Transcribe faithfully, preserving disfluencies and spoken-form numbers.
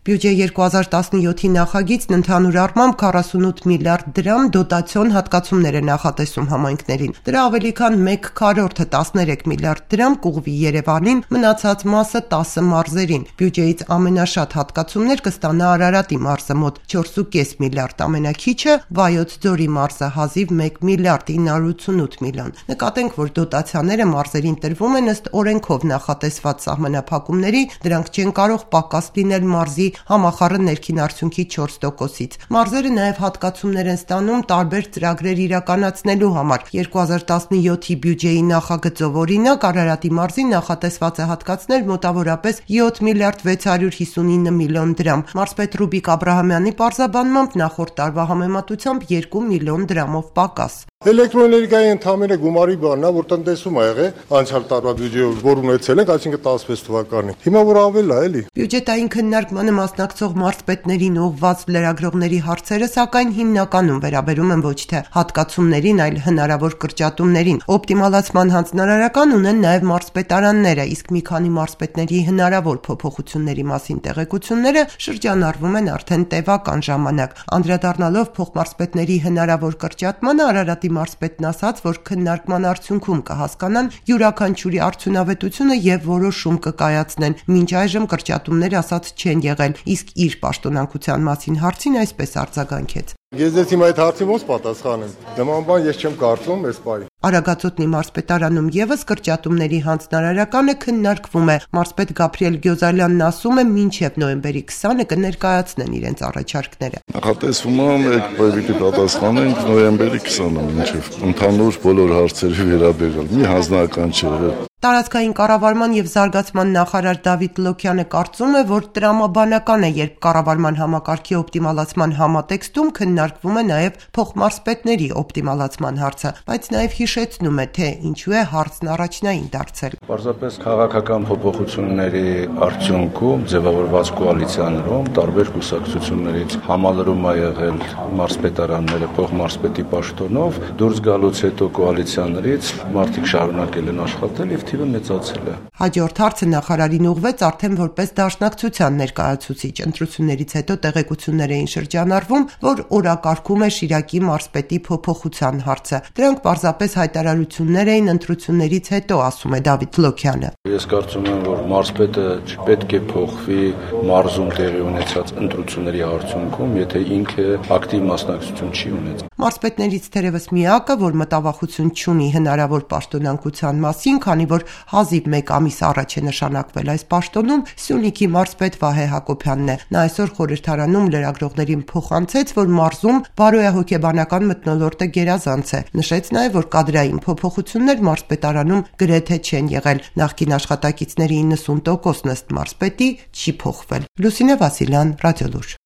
Բյուջե երկու հազար տասնյոթի նախագիծն ընդհանուր առմամբ քառասունութ միլիարդ դրամ դոտացիոն հատկացումներ է նախատեսում համայնքներին։ Դրա ավելի քան մեկ քառորդը տասներեք միլիարդ դրամ կուղղվի Երևանին, մնացած մասը տասը մարզերին։ Բյուջեից ամենաշատ հատկացումներ կստանա Արարատի մարզը մոտ չորս ու կես միլիարդ, ամենաքիչը Վայոց ձորի մարզը հազիվ մեկ միլիարդ ինը հարյուր ութսունութ միլիոն։ Նկատենք, որ դոտացիաները մարզերին տրվում են ըստ օրենքով նախատեսված սահմանափակումների, դրանք չեն կարող պակաս լինել մարզի համախառն ներքին արդյունքի չորս տոկոսից։ Մարզերը նաև հատկացումներ են ստանում տարբեր ծրագրեր իրականացնելու համար։ երկու հազար տասնյոթի բյուջեի նախագծով օրինակ Արարատի մարզին նախատեսված է հատկացնել մոտավորապես յոթ միլիարդ վեց հարյուր հիսունինը միլիոն դրամ։ Մարզպետ Ռուբիկ Աբրահամյանի պարզաբանմամբ նախորդ տարվա համեմատությամբ երկու միլիոն դրամով պակաս։ Էլեկտրոէներգիայի ընդհանուր գումարի բանն է, որ տնտեսում ա եղել անցյալ տարվա բյուջեով, որ ունեցել ենք, այսինքն տասնվեց թվականին։ Հիմա որ ավել է, էլի։ Բյուջետային քննարկմանը մասնակցող մարզպետներին ուղղված լրագրողների հարցերը սակայն հիմնականում վերաբերում են ոչ թե հատկացումներին, այլ հնարավոր կրճատումներին։ Օպտիմալացման հանձնարարական ունեն նաև մարզպետարանները, իսկ մի քանի մարզպետների հնարավոր փոփոխությունների մասին տեղեկությունները շրջանառվում են արդեն տևական ժամանակ։ Անդրադառնալով փոխմարզպետների հնարավոր կրճատմանը Արարատի մարզպետն ասաց, որ քննարկման արդյունքում կհասկանան յուրաքանչյուրի արդյունավետությունը եւ որոշում կկայացնեն։ Մինչ այժմ կրճատումներ ասած չեն եղել, իսկ իր պաշտոնանկության մասին հարցին այսպես արձագանքեց. Ես դες հիմա այդ հարցին ոնց պատասխանեմ։ Նման բան ես չեմ կարծում այս պահին։ Արագածոտնի մարզպետարանում եւս կրճատումների հանձնարարականը քննարկվում է։ Մարզպետ Գաբրիել Գյոզալյանն ասում է, մինչեւ նոյեմբերի քսանը կներկայացնեն իրենց առաջարկները։ Նախատեսվում է մեկ պիտի պատասխանենք նոյեմբերի քսանը մինչեւ ընդհանուր բոլոր հարցերի վերաբերյալ։ Մի հանձնարարական չէ։ Տարածքային կառավարման եւ զարգացման նախարար Դավիթ Լոքյանը կարծում է, որ տրամաբանական է, երբ կառավարման համակարգի օպտիմալացման համատեքստում քննարկվում է նաեւ փոխմարզպետների օպտիմալացման հարցը, բայց նաեւ հիշեցնում է, թե ինչու է հարցն առաջնային դարձել։ Պարզապես քաղաքական փոփոխությունների արդյունքում ձևավորված կոալիցիաներում տարբեր կուսակցություններից համալրում ա եղել մարզպետարանները փոխմարզպետի պաշտոնով, դուրս գալուց հետո կոալիցիաներից մարդիկ շարունակել են աշխատել եւ թիվը մեծացել է։ Հաջորդ հարցը նախարարին ուղղվեց արդեն որպես դաշնակցության ներկայացուցիչ։ Ընտրություններից հետո տեղեկություններ էին շրջանառվում, որ օրակարգում է Շիրակի մարզպետի փոփոխության հարցը։ Դրանք պարզապես հայտարարություններ էին ընտրություններից հետո, ասում է Դավիթ Լոքյանը։ Ես կարծում եմ, որ մարզպետը չպետք է փոխվի մարզում տեղի ունեցած ընտրությունների արդյունքում, եթե ինքը ակտիվ մասնակցություն չի ունեցել։ Մարզպետներից թերևս միակը, որ մտավախություն չունի հնարավոր պաշտոնանկության մասին, քանի որ հազիվ մեկ ամիս առաջ է նշանակվել այս պաշտոնում, Սյունիքի մարզպետ Վահե Հակոբյանն է։ Նա այսօր խորհրդարանում լրագրողներին փոխանցեց, որ մարզում բարոյահոգեբանական մթնոլորտը գերազանց է։ Նշեց նաև, որ կադրային փոփոխություններ մարզպետարանում գրեթե չեն եղել։ Նախկին աշխատակիցների իննսուն տոկոսն ըստ մարզպետի չի փոխվել։ Լուսինե Վասիլյան, Ռադիոլուր։